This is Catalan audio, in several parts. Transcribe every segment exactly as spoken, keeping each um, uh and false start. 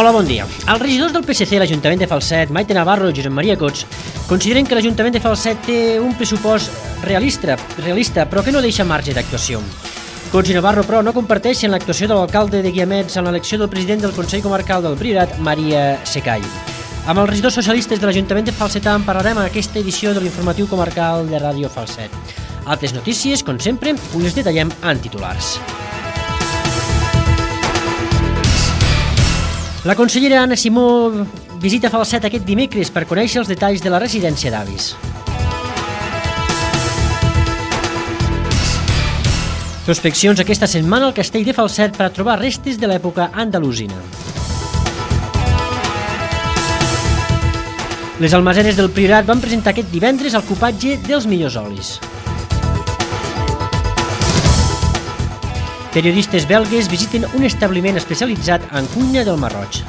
Hola, bon dia. Els regidors del P S C a l'Ajuntament de Falset, Maite Navarro i Josep Maria Cots, consideren que l'Ajuntament de Falset té un pressupost realista, realista però que no deixa marge d'actuació. Cots i Navarro, però, no comparteixen l'actuació de l'alcalde de Guiamets en l'elecció del president del Consell Comarcal del Priorat, Maria Secall. Amb els regidors socialistes de l'Ajuntament de Falset en parlarem en aquesta edició de l'informatiu comarcal de Ràdio Falset. Altres notícies, com sempre, us les detallem en titulars. La consellera Anna Simó visita Falset aquest dimecres per conèixer els detalls de la residència d'avis. Prospeccions aquesta setmana al castell de Falset per a trobar restes de l'època andalusina. Les almasenes del Priorat van presentar aquest divendres el cupatge dels millors olis. Periodistes belgues visiten un establiment especialitzat en cuina del Mar Roig.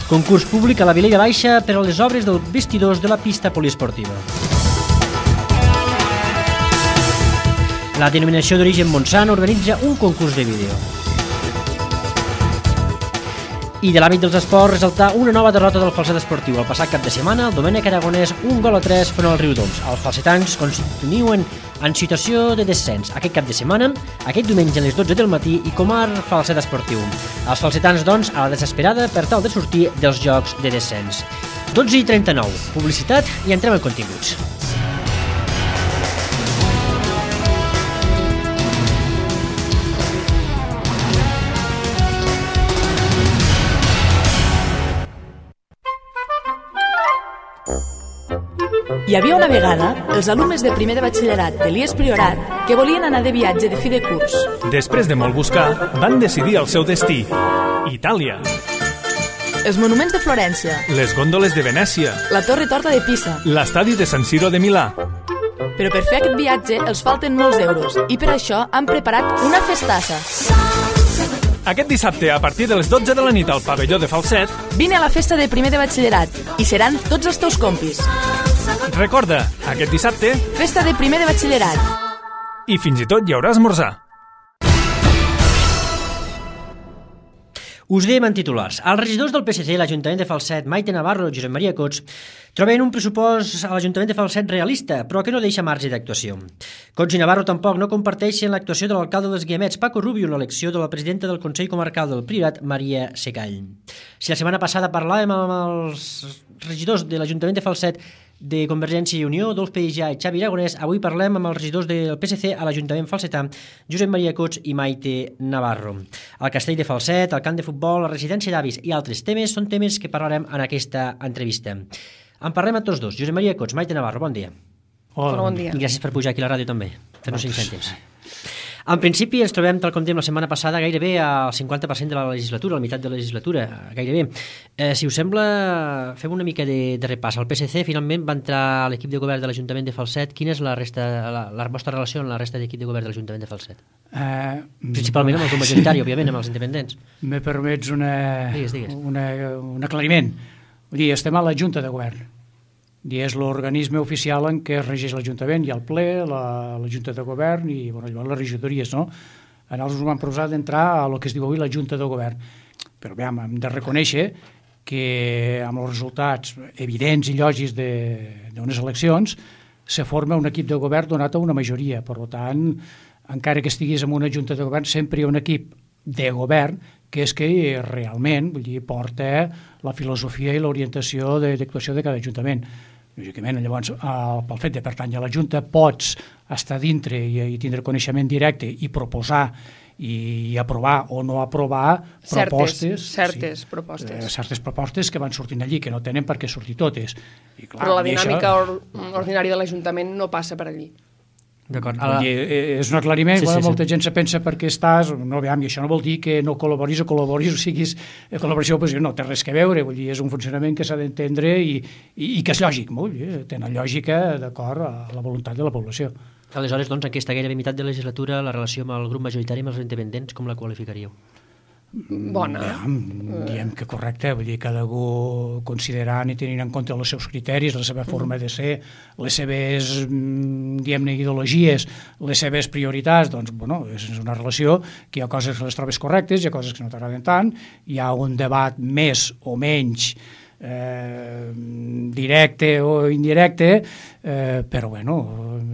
Concurs públic a la Vilella Baixa per a les obres dels vestidors de la pista poliesportiva. La denominació d'origen Montsant organitza un concurs de vídeo. I de l'àmbit dels esports, resaltar una nova derrota del Falset Esportiu. El passat cap de setmana, el Domènec Aragonès, un gol a tres front al Riudoms. Els falsetans continuen en situació de descens. Aquest cap de setmana, aquest diumenge a les dotze del matí, i Comar Falset Esportiu. Els falsetans, doncs, a la desesperada per tal de sortir dels jocs de descens. dotze i trenta-nou. Publicitat i entrem en continguts. Hi havia una vegada els alumnes de primer de batxillerat de l'I E S Priorat que volien anar de viatge de fi de curs. Després de molt buscar, van decidir el seu destí: Itàlia. Els monuments de Florència, Les gòndoles de Venècia, la Torre Torta de Pisa. l'estadi de San Siro de Milà. Però per fer aquest viatge els falten molts euros i per això han preparat una festassa. Aquest dissabte, a partir de les dotze de la nit al pavelló de Falset, Vine a la festa de primer de batxillerat i seran tots els teus compis. recorda, aquest dissabte, Festa de primer de batxillerat. i fins i tot hi haurà esmorzar. Us dèiem en titulars. Els regidors del P S C a l'Ajuntament de Falset, Maite Navarro i Josep Maria Cots, troben un pressupost a l'Ajuntament de Falset realista, però que no deixa marge d'actuació. Cots i Navarro tampoc no comparteixen l'actuació de l'alcalde dels Guiamets, Paco Rubio, en l'elecció de la presidenta del Consell Comarcal del Priorat, Maria Secall. Si la setmana passada parlàvem amb els regidors de l'Ajuntament de Falset de Convergència i Unió, Dolf Peïjà i Xavi Aragonès, avui parlem amb els regidors del P S C a l'Ajuntament falsetà, Josep Maria Cots i Maite Navarro. El castell de Falset, el camp de futbol, la residència d'avis i altres temes són temes que parlarem en aquesta entrevista. En parlem amb tots dos. Josep Maria Cots, Maite Navarro, bon dia. Hola, bon dia. I gràcies per pujar aquí a la ràdio també, fer-nos cinc cèntims. En principi ens trobem, tal com dèiem la setmana passada, gairebé al cinquanta per cent de la legislatura, a la meitat de la legislatura, gairebé. Eh, si us sembla, fem una mica de, de repàs. El P S C finalment va entrar a l'equip de govern de l'Ajuntament de Falset. Quina és la, resta, la, la vostra relació amb la resta d'equip de govern de l'Ajuntament de Falset? Uh, Principalment amb el grup majoritari, òbviament, amb els independents. Me permets una, digues, digues. Una, un aclariment. Vull dir, estem a la Junta de Govern. I és l'organisme oficial en què es regeix l'Ajuntament. Hi ha el ple, la, la Junta de Govern i bueno, llavors les regidories, no? A nosaltres ens vam proposar d'entrar a el que es diu avui la Junta de Govern. Però bé, hem de reconèixer que amb els resultats evidents i lògics d'unes eleccions se forma un equip de govern donat a una majoria. Per tant, encara que estiguis en una Junta de Govern, sempre hi ha un equip de govern que és que realment vull dir, porta la filosofia i l'orientació d'actuació de cada ajuntament. Lògicament, llavors, el, pel fet de pertànyer a la Junta, pots estar dintre i, i tindre coneixement directe i proposar i, i aprovar o no aprovar certes, propostes. Certes sí, propostes. Eh, certes propostes que van sortint allí, que no tenen per què sortir totes. I, clar, Però la dinàmica això... or ordinària de l'Ajuntament no passa per allí. D'acord. La... És un aclariment, sí, sí, sí. Molta gent se pensa perquè estàs, no, veiem, i això no vol dir que no col·laboris o col·laboris o siguis col·laboració o oposició, no té res que veure, vull dir, és un funcionament que s'ha d'entendre i, i, i que és lògic, vull dir, tenen lògica d'acord a la voluntat de la població. Aleshores, doncs, aquesta gairebé meitat de la legislatura, la relació amb el grup majoritari, amb els independents, com la qualificaríeu? bona. Ja, diem que correcte, vull dir, cada algú considerant i tenint en compte els seus criteris, la seva forma de ser, les seves, diem-ne, ideologies, les seves prioritats, doncs, bueno, és una relació que hi ha coses que les trobes correctes, hi ha coses que no t'agraden tant, hi ha un debat més o menys eh, directe o indirecte, eh, però, bueno,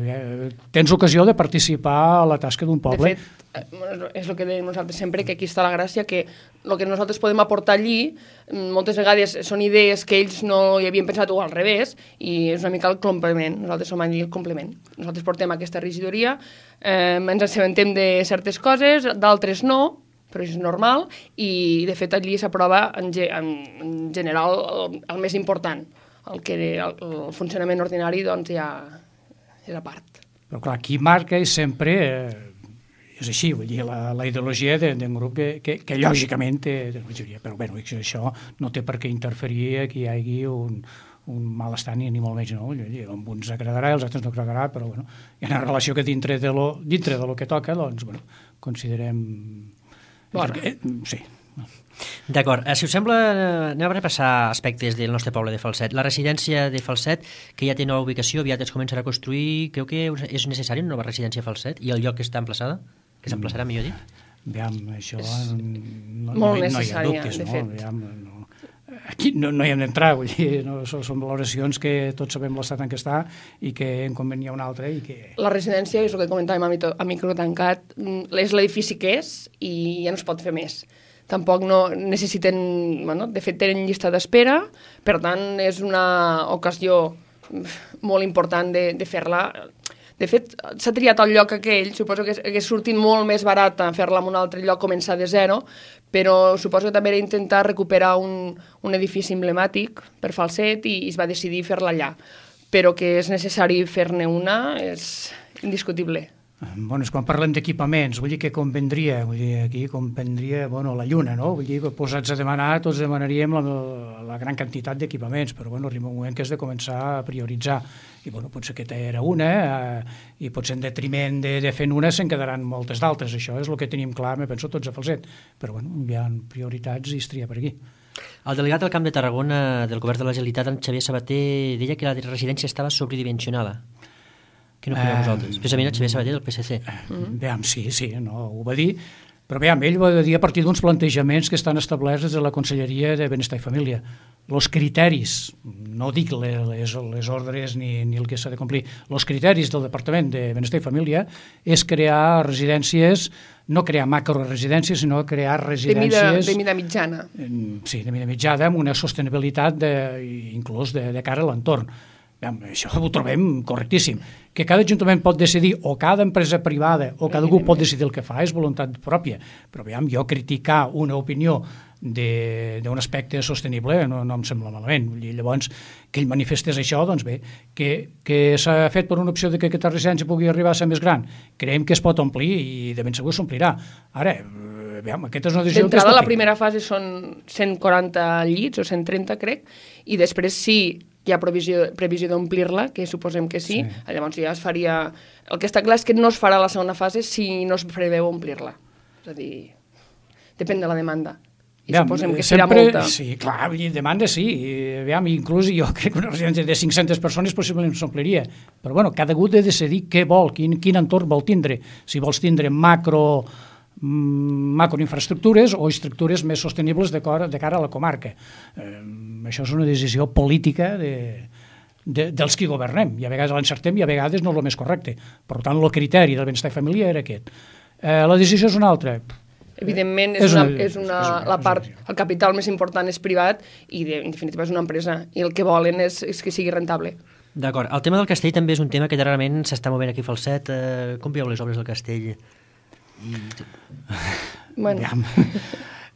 eh, tens ocasió de participar a la tasca d'un poble. De fet, és el que dèiem nosaltres sempre, que aquí està la gràcia, que el que nosaltres podem aportar allí moltes vegades són idees que ells no hi havien pensat o al revés, i és una mica el complement. Nosaltres som allí el complement. Nosaltres portem aquesta regidoria, eh, ens assabentem de certes coses, d'altres no, però és normal, i de fet allí s'aprova en, ge en general el, el més important. El, que, el, el funcionament ordinari doncs ja és a part. Però clar, qui marca és sempre... Eh, és així, vull dir, la, la ideologia d'un grup que, que, que lògicament té majoria, però bé, això no té per què interferir que hi hagi un, un malestar ni, ni molt menys, no? Dir, a uns agradarà i als altres no agradarà, però bueno, hi ha una relació que dintre de lo, dintre de lo que toca, doncs, bueno, considerem... Bona. Eh, sí. D'acord, si us sembla, anem a repassar aspectes del nostre poble de Falset. La residència de Falset, que ja té nova ubicació, aviat es començarà a construir, creu que és necessari una nova residència a Falset? I el lloc que està emplaçada? Que s'emplaçarà, millor dit? Aviam, això no, molt no, necessària, no hi ha dubtes, de no? fet. Aviam, no. Aquí no, no hi hem d'entrar, vull dir, no, són, són valoracions que tots sabem l'estat en què està i que en convenia una altra i que... La residència, és el que comentàvem a, mito, a micro tancat, és l'edifici que és i ja no es pot fer més. Tampoc no necessiten, bueno, de fet tenen llista d'espera, per tant és una ocasió molt important de, de fer-la. De fet, s'ha triat el lloc aquell, suposo que hagués sortit molt més barat fer-la en un altre lloc, començar de zero, però suposo que també era intentar recuperar un, un edifici emblemàtic per Falset i, i es va decidir fer-la allà. Però que és necessari fer-ne una és indiscutible. Bueno, és quan parlem d'equipaments, vull dir que convendria, vull dir, aquí convendria, bueno, la lluna, no? Vull dir que posats a demanar, tots demanaríem la, la gran quantitat d'equipaments, però bueno, arriba un moment que has de començar a prioritzar, i bueno, potser aquesta era una, eh, i potser en detriment de, de fent una se'n quedaran moltes d'altres, això és el que tenim clar, me penso tots a Falset, però bueno, hi ha prioritats i es tria per aquí. El delegat del Camp de Tarragona del Govern de la Generalitat, en Xavier Sabater, deia que la residència estava sobredimensionada. Què no creieu vosaltres? Especialment el Xavier Sabater del P S C. Mm-hmm. Veam, sí, sí, no, ho va dir, però veam, ell ho va dir a partir d'uns plantejaments que estan establerts des de la Conselleria de Benestar i Família. Els criteris, no dic les, les ordres ni, ni el que s'ha de complir, els criteris del Departament de Benestar i Família és crear residències, no crear macroresidències, sinó crear residències... De mida, de mida mitjana. Sí, de mida mitjana, amb una sostenibilitat de, inclús de, de cara a l'entorn. Això ho trobem correctíssim. Que cada ajuntament pot decidir, o cada empresa privada, o cada algú pot decidir el que fa, és voluntat pròpia. Però veiem, jo criticar una opinió d'un aspecte sostenible no, no em sembla malament. I llavors, que ell manifestés això, doncs bé, que, que s'ha fet per una opció de que aquesta residència pugui arribar a ser més gran. Creiem que es pot omplir i de ben segur s'omplirà. Ara, veiem, aquesta és una decisió... D'entrada, la primera fase són cent quaranta llits, o cent trenta, crec, i després sí hi ha previsió, previsió d'omplir-la, que suposem que sí, sí, llavors ja es faria... El que està clar és que no es farà la segona fase si no es preveu omplir-la. És a dir, depèn de la demanda. I ja, suposem que serà sempre, molta. Sí, clar, demanda sí. Aviam, inclús jo crec que una residència de cinc-centes persones possiblement s'ompliria. Però bueno, cada algú ha de decidir què vol, quin, quin entorn vol tindre. Si vols tindre macro... macroinfraestructures o estructures més sostenibles de, cor, de cara a la comarca. Eh, això és una decisió política de, de, dels qui governem, i a vegades l'encertem i a vegades no és el més correcte. Per tant, el criteri del benestar i família era aquest. Eh, la decisió és una altra. Evidentment, és, és, una, és, una, és una, la part, el capital més important és privat i, de, en definitiva, és una empresa, i el que volen és, és que sigui rentable. D'acord. El tema del castell també és un tema que darrerament s'està movent aquí a Falset. Eh, com veieu les obres del castell? I... Bueno.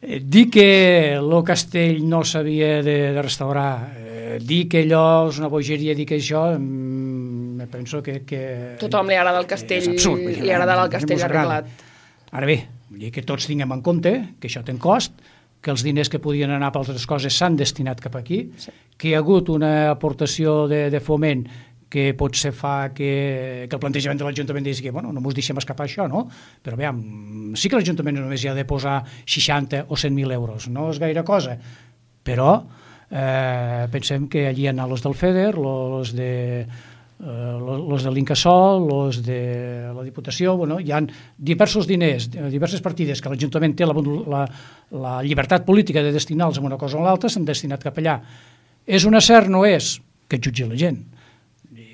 Dir que el castell no s'havia de, de restaurar, eh, dir que allò és una bogeria, dir que això, mm, penso que... que tothom li agrada el castell, absurd, li agradarà el castell arreglat. Ara bé, vull dir que tots tinguem en compte que això té un cost, que els diners que podien anar per altres coses s'han destinat cap aquí, sí, que hi ha hagut una aportació de, de foment que potser fa que, que el plantejament de l'Ajuntament digui que bueno, no ens deixem escapar això, no? Però veiem, sí que l'Ajuntament només hi ha de posar seixanta o cent mil euros, no és gaire cosa, però eh, pensem que allí hi ha els del FEDER, els de, eh, los de l'Incasòl, els de la Diputació, bueno, hi ha diversos diners, diverses partides que l'Ajuntament té la, la, la llibertat política de destinar-los a una cosa o l'altra, s'han destinat cap allà. És un acert, no és? Que jutgi la gent.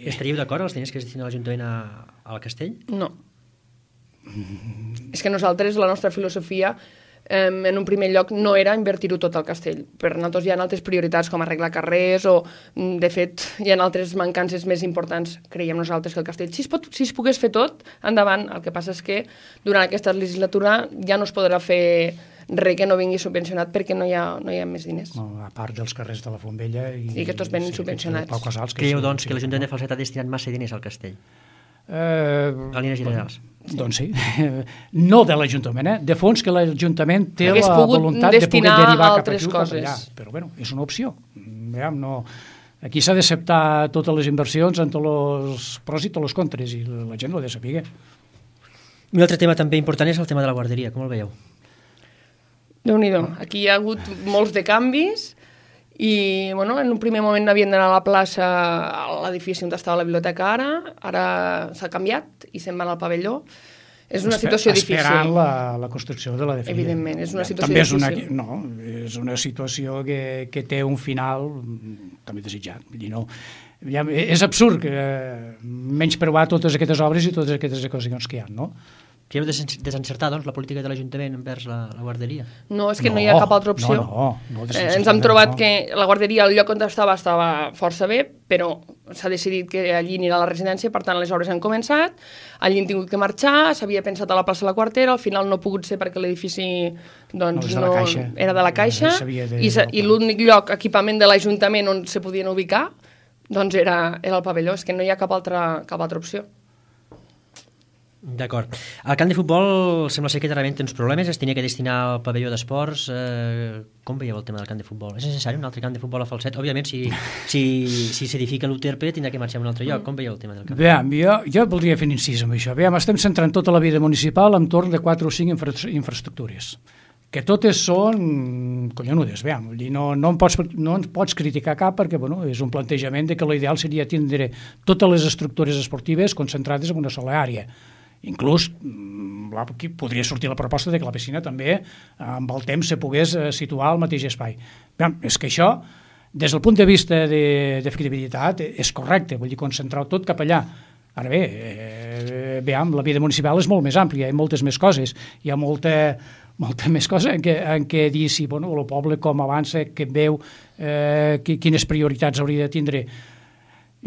Estaríeu d'acord els diners que es destinen l'Ajuntament al castell? No. Mm. És que nosaltres, la nostra filosofia, eh, en un primer lloc, no era invertir-ho tot al castell. Per nosaltres hi ha altres prioritats, com arreglar carrers, o, de fet, hi ha altres mancances més importants, creiem nosaltres, que el castell. Si es, pot, si es pogués fer tot, endavant. El que passa és que durant aquesta legislatura ja no es podrà fer res que no vingui subvencionat perquè no hi ha, no hi ha més diners. No, a part dels carrers de la Fontbella i, i que tots venen sí, subvencionats. Pau Casals, que Creieu, sí, doncs, sí, que l'Ajuntament de Falset ha destinat massa diners al castell? Eh, a línies generals. Sí. Doncs sí. No de l'Ajuntament, eh? De fons que l'Ajuntament té Hagués la voluntat de poder derivar cap aquí o cap allà. Però bueno, és una opció. Veiem, no... Aquí s'ha d'acceptar totes les inversions amb tots els pros i tots els contres, i la gent ho ha de saber. Un altre tema també important és el tema de la guarderia. Com el veieu? Déu-n'hi-do. Aquí hi ha hagut molts de canvis i, bueno, en un primer moment havien d'anar a la plaça, a l'edifici on estava la biblioteca ara, ara s'ha canviat i se'n van al pavelló. És una situació difícil. Esperant la, la construcció de la definitiva. Evidentment, és una situació també és difícil. Una, no, és una situació que, que té un final també desitjat. Vull dir, no, ja, és absurd que menysprear totes aquestes obres i totes aquestes ocasions que hi ha, no? Creieu desencertar, doncs, la política de l'Ajuntament envers la, la guarderia? No, és que no, no hi ha cap altra opció. No, no, no eh, ens hem trobat no. que la guarderia, al lloc on estava, estava força bé, però s'ha decidit que allí anirà a la residència, per tant, les obres han començat, allí han tingut que marxar, s'havia pensat a la plaça de la Quartera, al final no ha pogut ser perquè l'edifici doncs, no, no, caixa. era de la Caixa, de... i, i l'únic lloc, equipament de l'Ajuntament on se podien ubicar, doncs era, era el pavelló, és que no hi ha cap altra, cap altra opció. D'acord. El camp de futbol sembla ser que realment té uns problemes, es tenia que destinar al pavelló d'esports. Eh, com veieu el tema del camp de futbol? És necessari un altre camp de futbol a Falset? Òbviament, si, si, si s'edifica l'U T R P, tindrà que marxar a un altre lloc. Com veieu el tema del camp? Veiem, jo, jo voldria fer un incís amb això. Veiem, estem centrant tota la vida municipal entorn de quatre o cinc infra infraestructures, que totes són collonudes, veiem. No, no, em pots, no ens pots criticar cap perquè bueno, és un plantejament de que l'ideal seria tindre totes les estructures esportives concentrades en una sola àrea. Inclús aquí podria sortir la proposta de que la piscina també amb el temps se pogués situar al mateix espai. Bé, és que això, des del punt de vista d'efectivitat, és correcte, vull dir, concentrar tot cap allà. Ara bé, eh, veiem, la vida municipal és molt més àmplia, hi ha moltes més coses, hi ha molta, molta més cosa en què, en què dir si bueno, el poble com avança, que veu eh, quines prioritats hauria de tindre.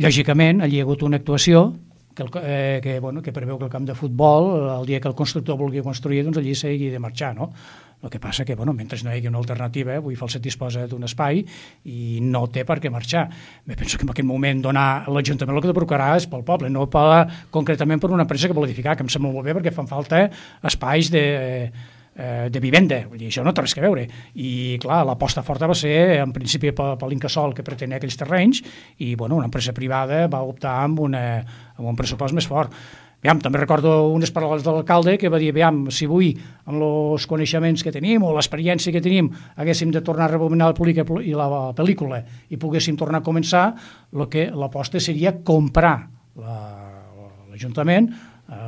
Lògicament, allí hi ha hagut una actuació que, el, eh, que, bueno, que preveu que el camp de futbol, el dia que el constructor vulgui construir, doncs allí s'hagi de marxar, no? El que passa que, bueno, mentre no hi hagi una alternativa, avui Falset disposa d'un espai i no té per què marxar. Bé, penso que en aquest moment donar l'Ajuntament el que de procurar és pel poble, no per, concretament per una empresa que vol edificar, que em sembla molt bé perquè fan falta espais de... Eh, de vivenda, vull dir, això no té res a veure i clar, l'aposta forta va ser en principi per, per l'Incasòl que pretenia aquells terrenys i bueno, una empresa privada va optar amb, una, amb un pressupost més fort. Aviam, també recordo unes paraules de l'alcalde que va dir, aviam, si avui amb els coneixements que tenim o l'experiència que tenim haguéssim de tornar a rebobinar la pel·lícula i la pel·lícula i poguéssim tornar a començar, lo que l'aposta seria comprar l'Ajuntament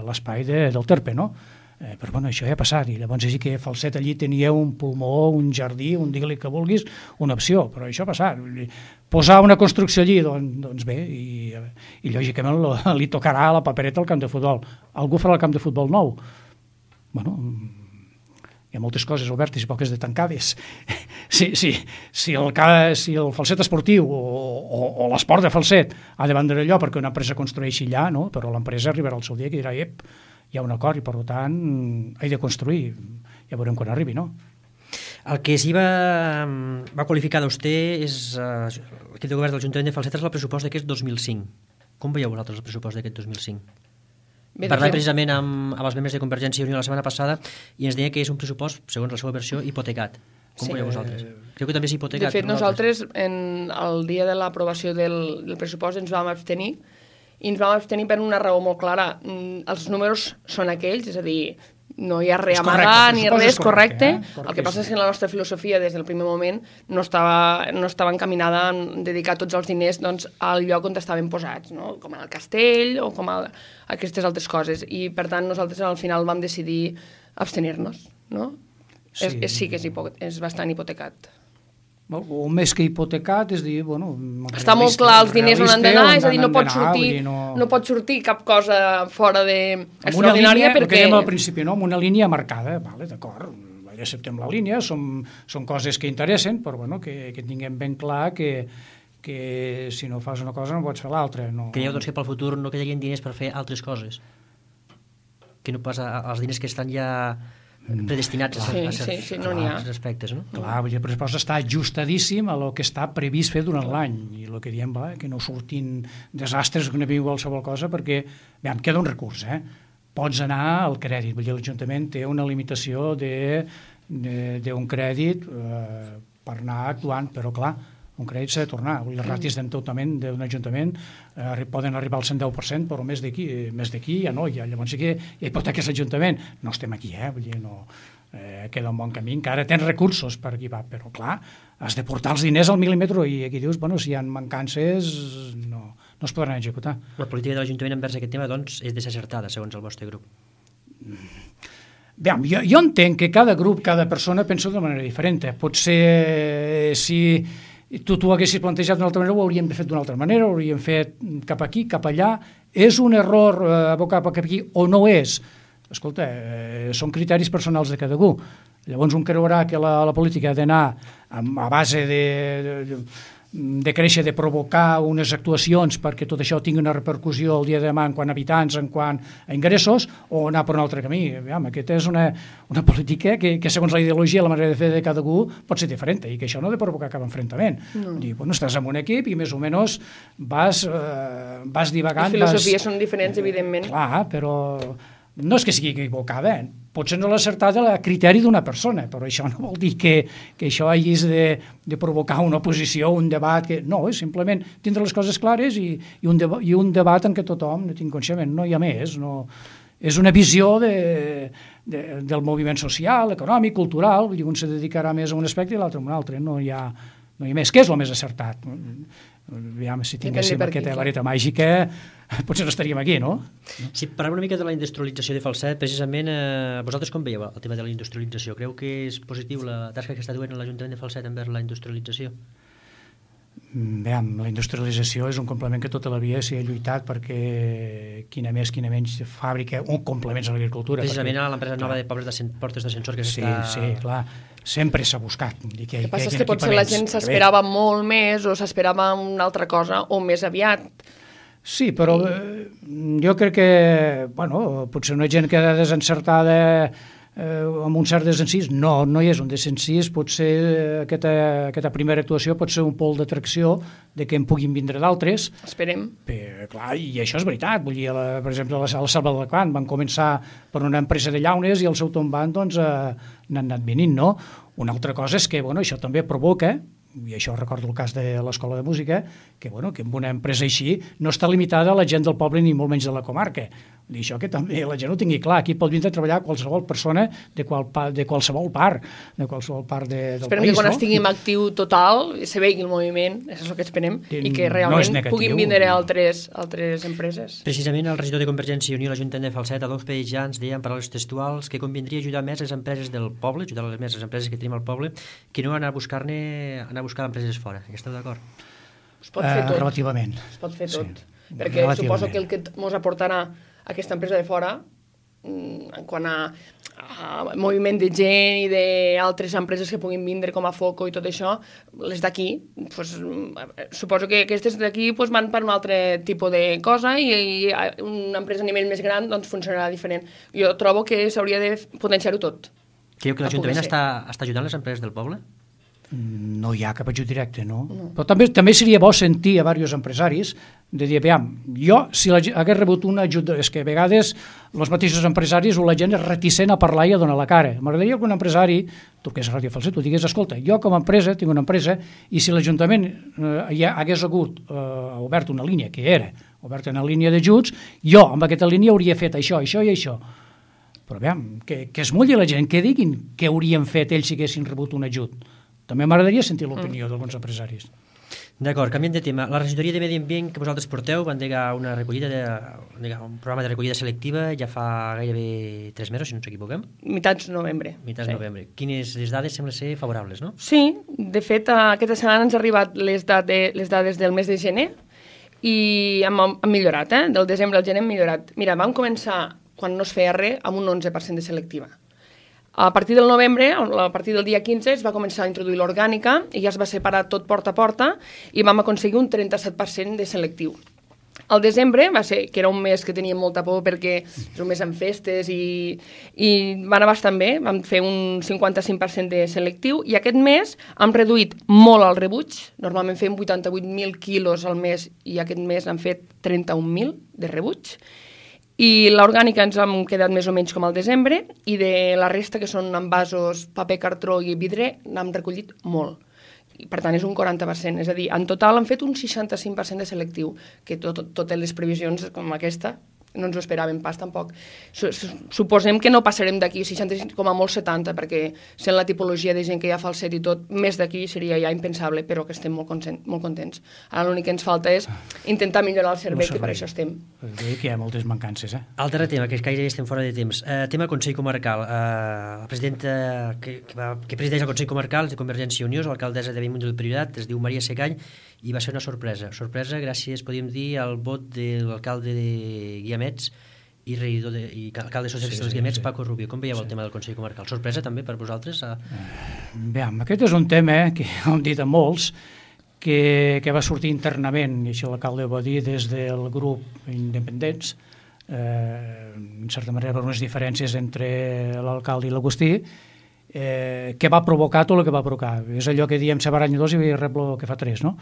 l'espai de, del Terpe, no? Eh, però bueno, això ja ha passat i llavors és que Falset allí tenia un pulmó, un jardí, un digue-li que vulguis, una opció, però això ha passat. Posar una construcció allí, doncs, doncs bé, i, i lògicament lo, li tocarà a la papereta al camp de futbol. Algú farà el camp de futbol nou? Bueno, hi ha moltes coses obertes i poques de tancades. Si, si, si, el, si el Falset esportiu o, o, o l'esport de Falset ha de vendre allò perquè una empresa construeixi allà, no? Però l'empresa arribarà al seu dia que dirà, ep, hi ha un acord i per tant he de construir, ja veurem quan arribi, no? El que sí va, va qualificar d'auster és uh, l'equip de govern de l'Ajuntament de Falset és el pressupost d'aquest dos mil cinc. Com veieu vosaltres el pressupost d'aquest dos mil cinc? Parlant precisament amb, amb els membres de Convergència i Unió la setmana passada i ens deia que és un pressupost, segons la seva versió, hipotecat. Com sí. veieu vosaltres? Creu que també és hipotecat? De fet, nosaltres, en el dia de l'aprovació del, del pressupost ens vam abstenir i ens vam abstenir per una raó molt clara. Els números són aquells, és a dir, no hi ha res a amagar ni res, correcte. Eh? El que passa és que la nostra filosofia des del primer moment no estava, no estava encaminada a dedicar tots els diners doncs, al lloc on estaven posats, no? Com al castell o com a aquestes altres coses. I per tant nosaltres al final vam decidir abstenir-nos. No? Sí. És, és, sí que és, hipo, és bastant hipotecat. O més que hipotecat, és dir, bueno... Està molt clar els diners on han d'anar, és a dir, no pot sortir, no... no pot sortir cap cosa fora de extraordinària perquè... El que dèiem al principi, no? Amb una línia marcada, vale, d'acord, ja acceptem la línia, són, són coses que interessen, però bueno, que, que tinguem ben clar que, que si no fas una cosa no pots fer l'altra. No... Creieu doncs, que pel futur no quedarien diners per fer altres coses? Que no pas als diners que estan ja... predestinats sí, a, a ser, sí, sí, no n'hi ha. aspectes, no? Clar, el pressupost està ajustadíssim a lo que està previst fer durant l'any i el que diem, va, que no surtin desastres que no vingui qualsevol cosa perquè, bé, em queda un recurs, eh? Pots anar al crèdit, vull dir, l'Ajuntament té una limitació d'un crèdit eh, per anar actuant, però clar, un crèdit s'ha de tornar. Les ràtios d'endeutament d'un ajuntament eh, poden arribar al cent deu per cent, però més d'aquí més d'aquí ja no, ja, llavors sí que ja hipoteques l'Ajuntament. No estem aquí, eh? Vull dir, no, eh, queda un bon camí, encara tens recursos per aquí va, però clar, has de portar els diners al mil·límetre i aquí dius, bueno, si hi ha mancances no, no es podran executar. La política de l'Ajuntament envers aquest tema, doncs, és desacertada, segons el vostre grup. Bé, jo, jo entenc que cada grup, cada persona pensa d'una manera diferent. Potser si tu t'ho haguessis plantejat d'una altra manera, ho hauríem fet d'una altra manera, ho hauríem fet cap aquí, cap allà. És un error eh, abocar cap aquí o no és? Escolta, eh, són criteris personals de cada algú. Llavors un creurà que la, la política ha d'anar a base de, de, de créixer, de provocar unes actuacions perquè tot això tingui una repercussió el dia de demà en quant a habitants, en quant a ingressos, o anar per un altre camí. Aviam, aquesta és una, una política que, que segons la ideologia, la manera de fer de cada algú pot ser diferent i que això no ha de provocar cap enfrontament. No. Dir, bueno, estàs en un equip i més o menys vas, eh, vas divagant. Les filosofies vas... són diferents, evidentment. Clar, però no és que sigui equivocada, eh? Potser no l'ha acertat a criteri d'una persona, però això no vol dir que, que això hagis de, de provocar una oposició, un debat, que no, és simplement tindre les coses clares i, i, un, deba, i un debat en què tothom no tingui coneixement, no hi ha més, no, és una visió de, de, del moviment social, econòmic, cultural, i un se dedicarà més a un aspecte i l'altre a un altre, no hi ha, no hi ha més. Què és el més acertat? Aviam, si tinguéssim aquesta vareta màgica, potser no estaríem aquí, no? Si parlem una mica de la industrialització de Falset, precisament, eh, vosaltres com veieu el tema de la industrialització? Creu que és positiu la tasca que està duent l'Ajuntament de Falset envers la industrialització? Bé, la industrialització és un complement que tota la vida s'hi ha lluitat perquè quina més, quina menys fàbrica, un complement a l'agricultura. Precisament perquè, a l'empresa nova de Pobres de Portes d'Ascensor que sí, s'està... Sí, clar, sempre s'ha buscat. El que, que passa és que potser la gent s'esperava molt més o s'esperava una altra cosa o més aviat. Sí, però eh, jo crec que, bueno, potser una gent que queda desencertada eh, amb un cert desencís, no, no hi és un desencís, potser aquesta, aquesta primera actuació pot ser un pol d'atracció de que en puguin vindre d'altres. Esperem. Però, clar, i això és veritat, vull dir, la, per exemple, a la Selva del Camp van començar per una empresa de llaunes i al seu tombant doncs, eh, n'han anat venint, no? Una altra cosa és que, bueno, això també provoca, i això recordo el cas de l'Escola de Música, que, bueno, que amb una empresa així no està limitada a la gent del poble ni molt menys de la comarca. I això que també la gent ho tingui clar. Aquí pot vindre a treballar qualsevol persona de, qual, de qualsevol part, de qualsevol part de, del esperem país. Esperem que quan no? estiguem actiu total se vegi el moviment, això és el que esperem, I, i que realment no puguin vindre altres, altres empreses. Precisament el regidor de Convergència i Unió a l'Ajuntament de Falset, Adolf Pejans, deia en paraules textuals que convindria ajudar més les empreses del poble, ajudar més les empreses que tenim al poble, que no anar a buscar-ne, anar a buscar empreses fora. Esteu d'acord? Es pot fer tot. Uh, relativament. Es pot fer tot. Sí. Perquè suposo que el que ens aportarà aquesta empresa de fora, en quant a, a moviment de gent i d'altres empreses que puguin vindre com a Foco i tot això, les d'aquí, pues, suposo que aquestes d'aquí pues, van per un altre tipus de cosa i, i una empresa a nivell més gran doncs, funcionarà diferent. Jo trobo que s'hauria de potenciar-ho tot. Creu que l'Ajuntament està, està ajudant les empreses del poble? No hi ha cap ajut directe, no? no. Però també, també seria bo sentir a diversos empresaris de dir, aviam, jo, si la, hagués rebut un ajut, és que a vegades els mateixos empresaris o la gent és reticent a parlar i a donar la cara. M'agradaria que un empresari, tu que és Ràdio Falset, tu digues, escolta, jo com a empresa, tinc una empresa, i si l'Ajuntament eh, ja hagués hagut eh, obert una línia, que era oberta una línia d'ajuts, jo amb aquesta línia hauria fet això, això i això. Però aviam, que, que es mulli la gent, que diguin què haurien fet ells si haguessin rebut un ajut. També m'agradaria sentir l'opinió mm. d'alguns empresaris. D'acord, canviant de tema. La regidoria de Medi Ambient que vosaltres porteu va endegar una recollida de, endegar un programa de recollida selectiva ja fa gairebé tres mesos, si no ens equivoquem. Mitats novembre. Mitats sí. novembre. Quines les dades semblen ser favorables, no? Sí, de fet, aquesta setmana ens han arribat les, dade, les dades del mes de gener i hem, hem millorat, eh? Del desembre al gener hem millorat. Mira, vam començar, quan no es feia res, amb un onze per cent de selectiva. A partir del novembre, a partir del dia quinze, es va començar a introduir l'orgànica i ja es va separar tot porta a porta i vam aconseguir un trenta-set per cent de selectiu. Al desembre va ser, que era un mes que teníem molta por perquè és un mes amb festes i, i va anar bastant bé, vam fer un cinquanta-cinc per cent de selectiu i aquest mes hem reduït molt el rebuig, normalment fem vuitanta-vuit mil quilos al mes i aquest mes hem fet trenta-un mil de rebuig. I l'orgànica ens hem quedat més o menys com al desembre i de la resta, que són envasos, paper, cartró i vidre, n'hem recollit molt. I, per tant, és un quaranta per cent. És a dir, en total han fet un seixanta-cinc per cent de selectiu, que tot, totes les previsions com aquesta no ens ho esperàvem pas tampoc. Suposem que no passarem d'aquí seixanta-cinc com a molt setanta, perquè sent la tipologia de gent que hi ha falset i tot, més d'aquí seria ja impensable, però que estem molt, consent, molt contents. Ara l'únic que ens falta és intentar millorar el servei, que per això estem. Vull que hi ha moltes mancances, eh? Altre tema, que gairebé estem fora de temps. Uh, tema Consell Comarcal. Uh, la presidenta que, que, va, que presideix el Consell Comarcal de Convergència i Unió, l'alcaldessa de Bellmunt del Priorat, es diu Maria Segall, i va ser una sorpresa. Sorpresa gràcies, podríem dir, al vot de l'alcalde de Guiamets i regidor de, i alcalde socialista sí, dels Guiamets, sí. Paco Rubio. Com veieu sí. el tema del Consell Comarcal? Sorpresa també per vosaltres? A... Bé, aquest és un tema eh, que hem dit a molts, que, que va sortir internament, i això l'alcalde ho va dir, des del grup Independents, eh, en certa manera per unes diferències entre l'alcalde i l'Agustí, eh, que va provocar tot el que va provocar. És allò que diem separar any dos i rep el que fa tres, no?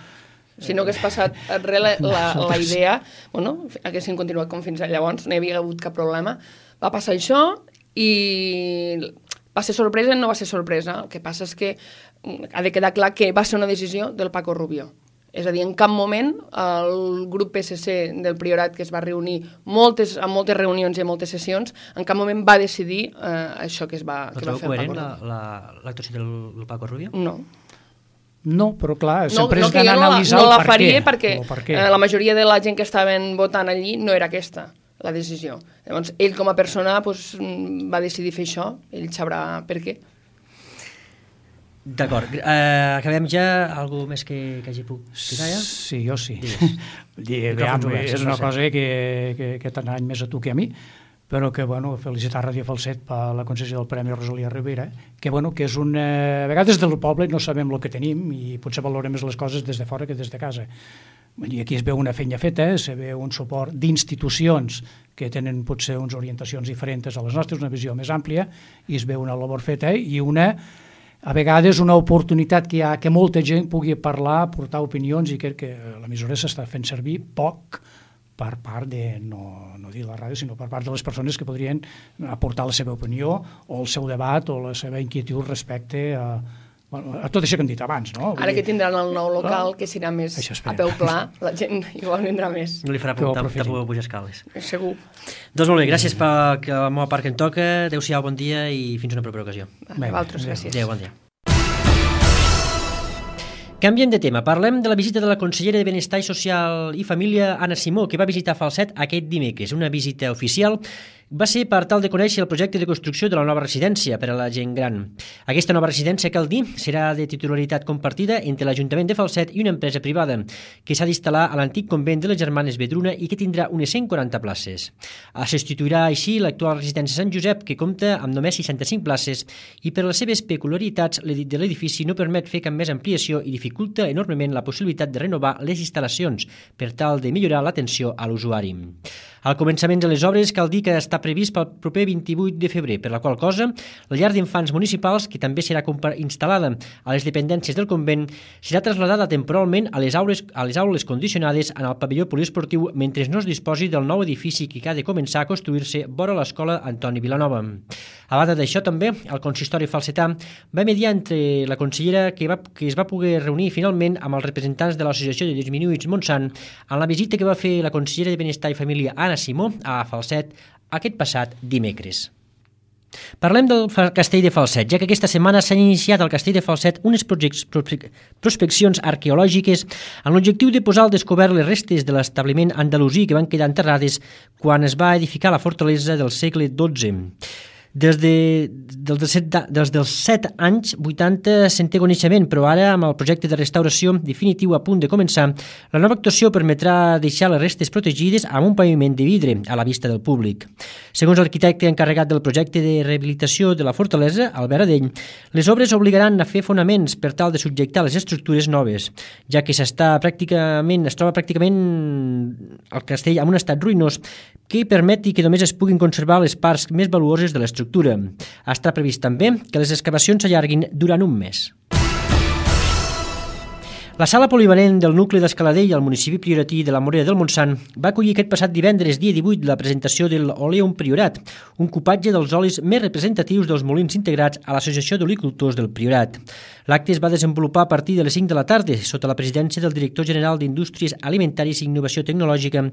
Si no hagués passat res, la, la, la idea, bueno, haguessin continuat com fins llavors, no hi havia hagut cap problema. Va passar això i va ser sorpresa, no va ser sorpresa. El que passa és que ha de quedar clar que va ser una decisió del Paco Rubio. És a dir, en cap moment el grup P S C del Priorat, que es va reunir moltes, en moltes reunions i en moltes sessions, en cap moment va decidir eh, això que es va, que va fer el Paco Rubio. No trobo l'actuació del, del Paco Rubio? No. No, però clar, sempre no, és d'anar a analitzar no la, no el la faria per perquè per què. Eh, la majoria de la gent que estaven votant allí no era aquesta la decisió. Llavors, ell com a persona pues, va decidir fer això, ell sabrà per què. D'acord. Uh, acabem ja. Algú més que, que hagi pogut ficar ja? Sí, jo sí. Veam, és una cosa que, que, que tant any més a tu que a mi, però que, bueno, felicitar Ràdio Falset per la concessió del Premi Rosalia Rivera, que, bueno, que és una... A vegades del poble no sabem el que tenim i potser valorem més les coses des de fora que des de casa. I aquí es veu una feina feta, se veu un suport d'institucions que tenen potser unes orientacions diferents a les nostres, una visió més àmplia, i es veu una labor feta i una... a vegades una oportunitat que hi ha que molta gent pugui parlar, portar opinions, i crec que l'emissora s'està fent servir poc per part de, no, no dir la ràdio, sinó per part de les persones que podrien aportar la seva opinió o el seu debat o la seva inquietud respecte a, bueno, a tot això que hem dit abans. No? Ara que tindran el nou local, que serà més a peu pla, la gent igual vindrà més. No li farà por pujar escales. Segur. Doncs molt bé, gràcies per la meva part que em toca. Adéu-siau, bon dia i fins una propera ocasió. A vosaltres, gràcies. Adéu, bon dia. Canviem de tema. Parlem de la visita de la consellera de Benestar Social i Família, Anna Simó, que va visitar Falset aquest dimecres. Una visita oficial va ser per tal de conèixer el projecte de construcció de la nova residència per a la gent gran. Aquesta nova residència, cal dir, serà de titularitat compartida entre l'Ajuntament de Falset i una empresa privada, que s'ha d'instal·lar a l'antic convent de les Germanes Vedruna i que tindrà unes cent quaranta places. Es substituirà així l'actual residència Sant Josep, que compta amb només seixanta-cinc places i per les seves peculiaritats de l'edifici no permet fer cap més ampliació i dificulta enormement la possibilitat de renovar les instal·lacions per tal de millorar l'atenció a l'usuari. Al començament de les obres cal dir que està previst pel proper vint-i-vuit de febrer, per la qual cosa la llar d'infants municipals, que també serà instal·lada a les dependències del convent, serà trasladada temporalment a les aules, a les aules condicionades en el pavelló poliesportiu mentre no es disposi del nou edifici que ha de començar a construir-se vora l'escola Antoni Vilanova. A banda d'això, també, el consistori falsetà va mediar entre la consellera que, va, que es va poder reunir finalment amb els representants de l'Associació de Disminuïts Montsant en la visita que va fer la consellera de Benestar i Família, Anna Simó, a Falset aquest passat dimecres. Parlem del castell de Falset, ja que aquesta setmana s'han iniciat al castell de Falset unes prospeccions arqueològiques amb l'objectiu de posar al descobert les restes de l'establiment andalusí que van quedar enterrades quan es va edificar la fortalesa del segle dotze. Des, de, dels, de set, des dels set anys vuitanta se'n té coneixement, però ara, amb el projecte de restauració definitiu a punt de començar, la nova actuació permetrà deixar les restes protegides amb un paviment de vidre a la vista del públic. Segons l'arquitecte encarregat del projecte de rehabilitació de la fortalesa, Albert Adell, les obres obligaran a fer fonaments per tal de subjectar les estructures noves, ja que s'està pràcticament, es troba pràcticament el castell en un estat ruïnós que permeti que només es puguin conservar les parts més valuoses de l'estructura. Està previst també que les excavacions s'allarguin durant un mes. La sala polivalent del nucli d'Escaladell al municipi prioratí de la Morera del Montsant va acollir aquest passat divendres, dia divuit, la presentació de l'Oleum Priorat, un cupatge dels olis més representatius dels molins integrats a l'Associació d'Olicultors del Priorat. L'acte es va desenvolupar a partir de les cinc de la tarda, sota la presidència del director general d'Indústries Alimentàries i Innovació Tecnològica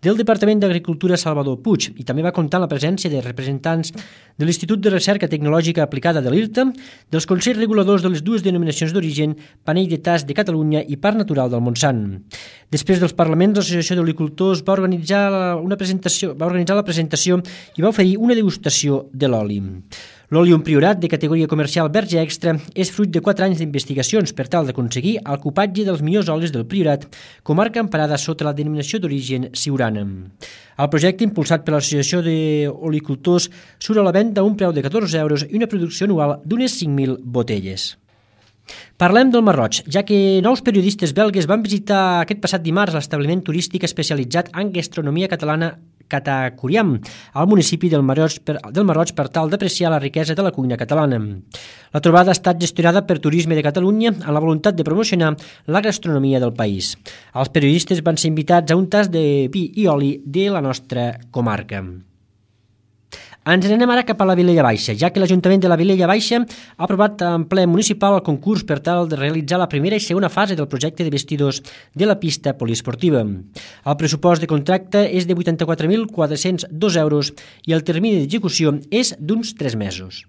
del Departament d'Agricultura Salvador Puig, i també va comptar amb la presència de representants de l'Institut de Recerca Tecnològica Aplicada de l'I R T A, dels Consells Reguladors de les dues denominacions d'origen, Panell de Tas de Catalunya i Parc Natural del Montsant. Després dels parlaments, l'Associació d'Olicultors va organitzar una presentació, va organitzar la presentació i va oferir una degustació de l'oli. L'Oleum Priorat, de categoria comercial verge extra, és fruit de quatre anys d'investigacions per tal d'aconseguir el cupatge dels millors olis del Priorat, comarca emparada sota la denominació d'origen Siurana. El projecte, impulsat per l'Associació d'Olicultors, surt a la venda a un preu de catorze euros i una producció anual d'unes cinc mil botelles. Parlem del Mar Roig, ja que nous periodistes belgues van visitar aquest passat dimarts l'establiment turístic especialitzat en gastronomia catalana Catacuriam, al municipi del Mar Roig per, del Mar Roig per tal d'apreciar la riquesa de la cuina catalana. La trobada ha estat gestionada per Turisme de Catalunya amb la voluntat de promocionar la gastronomia del país. Els periodistes van ser invitats a un tas de vi i oli de la nostra comarca. Ens n'anem ara cap a la Vilella Baixa, ja que l'Ajuntament de la Vilella Baixa ha aprovat en ple municipal el concurs per tal de realitzar la primera i segona fase del projecte de vestidors de la pista poliesportiva. El pressupost de contracte és de vuitanta-quatre mil quatre-cents dos euros i el termini d'execució és d'uns tres mesos.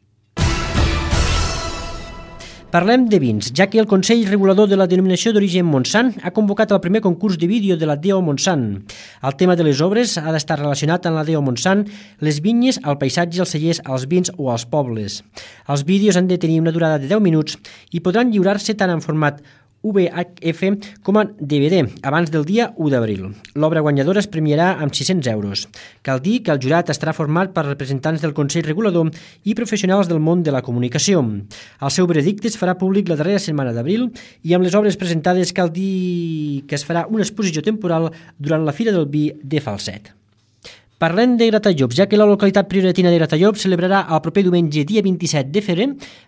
Parlem de vins, ja que el Consell Regulador de la Denominació d'Origen Montsant ha convocat el primer concurs de vídeo de la D O Montsant. El tema de les obres ha d'estar relacionat amb la D O Montsant, les vinyes, el paisatge, els cellers, els vins o els pobles. Els vídeos han de tenir una durada de deu minuts i podran lliurar-se tant en format V H F com a D V D abans del dia u d'abril. L'obra guanyadora es premiarà amb sis-cents euros. Cal dir que el jurat estarà format per representants del Consell Regulador i professionals del món de la comunicació. El seu veredicte es farà públic la darrera setmana d'abril i amb les obres presentades cal dir que es farà una exposició temporal durant la Fira del Vi de Falset. Parlem de Gratallops, ja que la localitat prioratina de Gratallops celebrarà el proper diumenge, dia vint-i-set de febrer,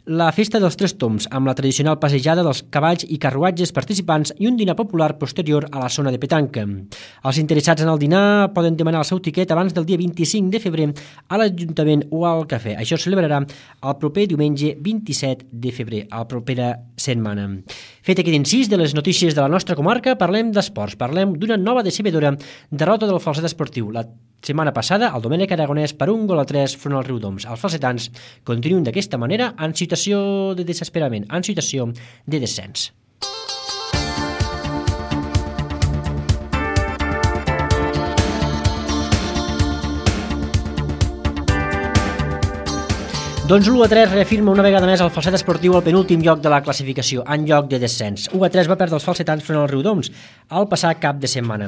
la Festa dels Tres Tombs, amb la tradicional passejada dels cavalls i carruatges participants i un dinar popular posterior a la zona de petanca. Els interessats en el dinar poden demanar el seu tiquet abans del dia vint-i-cinc de febrer a l'Ajuntament o al cafè. Això es celebrarà el proper diumenge vint-i-set de febrer, a la propera setmana. Fet aquest incís de les notícies de la nostra comarca, parlem d'esports. Parlem d'una nova decebedora derrota del Falset Esportiu. La setmana passada, el Domènec Aragonès per un gol a tres front al Riudoms. Els falsetans continuen d'aquesta manera en situació de desesperament, en situació de descens. Doncs l'u a tres reafirma una vegada més el Falset Esportiu al penúltim lloc de la classificació, en lloc de descens. u a tres va perdre els falsetans front al Riudoms al passat cap de setmana.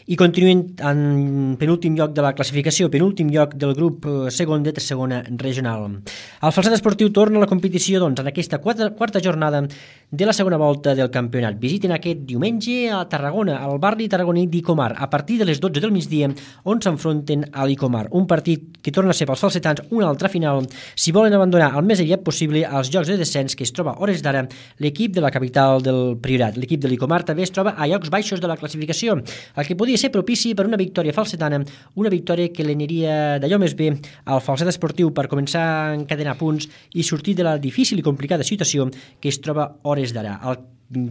I continuen en penúltim lloc de la classificació, penúltim lloc del grup segon de segona regional. El Falset Esportiu torna a la competició doncs, en aquesta quarta, quarta jornada de la segona volta del campionat. Visiten aquest diumenge a Tarragona, al barri tarragoní d'Icomar, a partir de les dotze del migdia, on s'enfronten a l'Icomar. Un partit que torna a ser pels falsetans una altra final, si volen abandonar el més aviat possible als jocs de descens que es troba a hores d'ara l'equip de la capital del Priorat. L'equip de l'Icomar també es troba a llocs baixos de la classificació, el que podia ser propici per una victòria falsetana, una victòria que l'aniria d'allò més bé al Falset Esportiu per començar a encadenar punts i sortir de la difícil i complicada situació que es troba a hores d'ara. El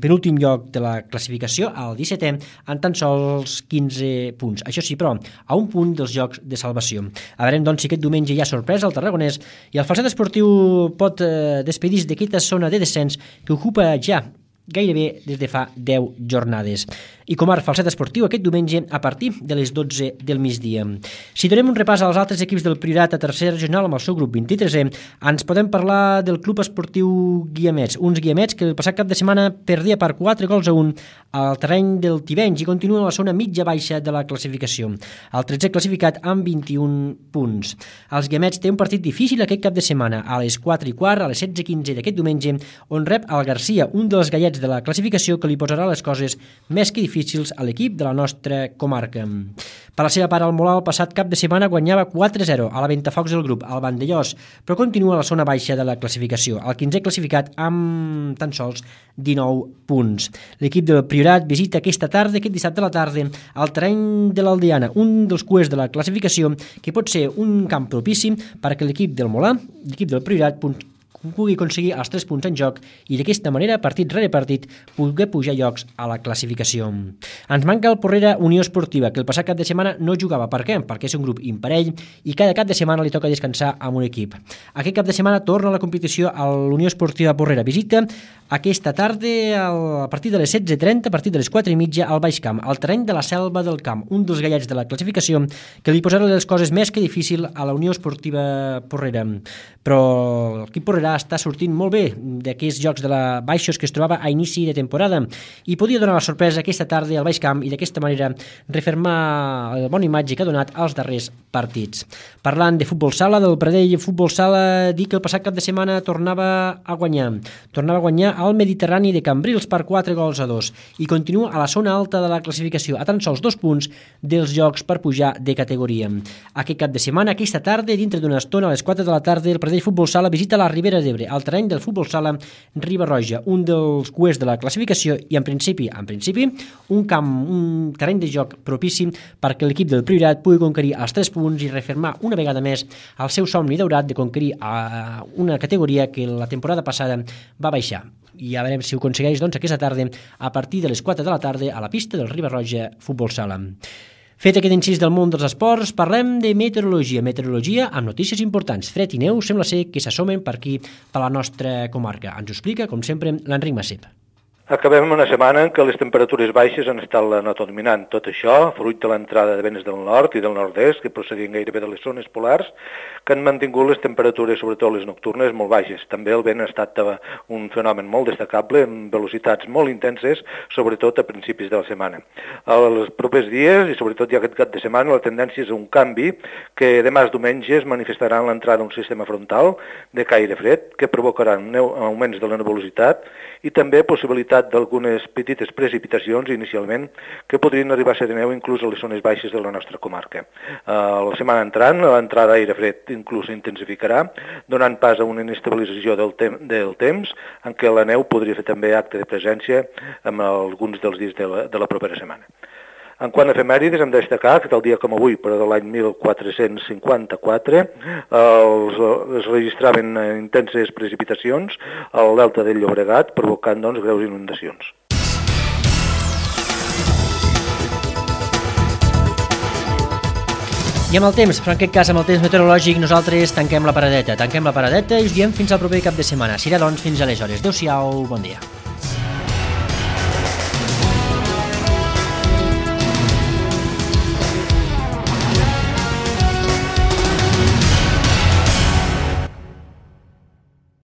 penúltim lloc de la classificació, el dissetè, en tan sols quinze punts. Això sí, però, a un punt dels jocs de salvació. A veurem, doncs, si aquest diumenge hi ha sorpresa al Tarragonès i el Falset Esportiu pot eh, despedir-se d'aquesta zona de descens que ocupa ja gairebé des de fa deu jornades. Icomar Falset Esportiu aquest diumenge a partir de les dotze del migdia. Si donem un repàs als altres equips del Priorat a tercera regional amb el seu grup vint-i-tresè, ens podem parlar del Club Esportiu Guiamets, uns Guiamets que el passat cap de setmana perdia per quatre gols a un al terreny del Tivenys i continua a la zona mitja-baixa de la classificació. El tretzè classificat amb vint-i-un punts. Els Guiamets té un partit difícil aquest cap de setmana, a les quatre i quart, a les setze quinze d'aquest diumenge, on rep el Garcia, un dels gallets de la classificació que li posarà les coses més que difícils a l'equip de la nostra comarca. Per la seva part, el Molar el passat cap de setmana guanyava quatre a zero a la Ventafocs del grup, al Vandellós, però continua a la zona baixa de la classificació, el quinzè classificat amb tan sols dinou punts. L'equip del Priorat visita aquesta tarda, aquest dissabte a la tarda, al terreny de l'Aldeana, un dels cuers de la classificació que pot ser un camp propici perquè l'equip del Molar, l'equip del Priorat, pugui aconseguir els tres punts en joc i d'aquesta manera, partit rere partit, pugui pujar llocs a la classificació. Ens manca el Porrera Unió Esportiva, que el passat cap de setmana no jugava. Per què? Perquè és un grup imparell i cada cap de setmana li toca descansar amb un equip. Aquest cap de setmana torna a la competició a l'Unió Esportiva Porrera. Visita aquesta tarda, a partir de les setze trenta, a partir de les quatre i mitja, al Baix Camp, al terreny de la Selva del Camp, un dels gallets de la classificació que li posarà les coses més que difícil a la Unió Esportiva Porrera. Però l'equip Porrera està sortint molt bé d'aquests jocs de la baixos que es trobava a inici de temporada i podia donar la sorpresa aquesta tarda al Baix Camp i d'aquesta manera refermar la bona imatge que ha donat als darrers partits. Parlant de futbol sala, del Pradell Futbol Sala, dir que el passat cap de setmana tornava a guanyar. Tornava a guanyar al Mediterrani de Cambrils per quatre gols a dos i continua a la zona alta de la classificació, a tan sols dos punts dels jocs per pujar de categoria. Aquest cap de setmana, aquesta tarda, dintre d'una estona, a les quatre de la tarda, el Pradell Futbol Sala visita la Ribera d'Ebre, al terreny del Futbol Sala Riba-roja, un dels cuers de la classificació i en principi, en principi, un camp, un terreny de joc propici perquè l'equip del Priorat pugui conquerir els tres punts i refermar una vegada més el seu somni daurat de conquerir a una categoria que la temporada passada va baixar. I ja veurem si ho aconsegueix doncs, aquesta tarda a partir de les quatre de la tarda a la pista del Riba-roja Futbol Sala. Fet aquest incís del món dels esports, parlem de meteorologia. Meteorologia amb notícies importants. Fred i neu sembla ser que s'assomen per aquí, per la nostra comarca. Ens ho explica, com sempre, l'Enric Massip. Acabem una setmana en què les temperatures baixes han estat la nota dominant. Tot això, fruit de l'entrada de vents del nord i del nord-est, que procedien gairebé de les zones polars, que han mantingut les temperatures, sobretot les nocturnes, molt baixes. També el vent ha estat un fenomen molt destacable, amb velocitats molt intenses, sobretot a principis de la setmana. Els propers dies, i sobretot ja aquest cap de setmana, la tendència és un canvi que demà diumenge es manifestarà en l'entrada d'un sistema frontal de caire fred, que provocarà augments de la nebulositat i també possibilitat d'algunes petites precipitacions inicialment que podrien arribar a ser de neu inclús a les zones baixes de la nostra comarca. Uh, la setmana entrant, l'entrada d'aire fred inclús s'intensificarà, donant pas a una inestabilització del, tem del temps en què la neu podria fer també acte de presència en alguns dels dies de la, de la propera setmana. En quant a efemèrides, hem de destacar que tal dia com avui, però de l'any mil quatre-cents cinquanta-quatre, els, es registraven intenses precipitacions al delta del Llobregat, provocant doncs, greus inundacions. I amb el temps, però en aquest cas amb el temps meteorològic, nosaltres tanquem la paradeta. Tanquem la paradeta i us diem fins al proper cap de setmana. Serà doncs fins aleshores. Adéu-siau, bon dia.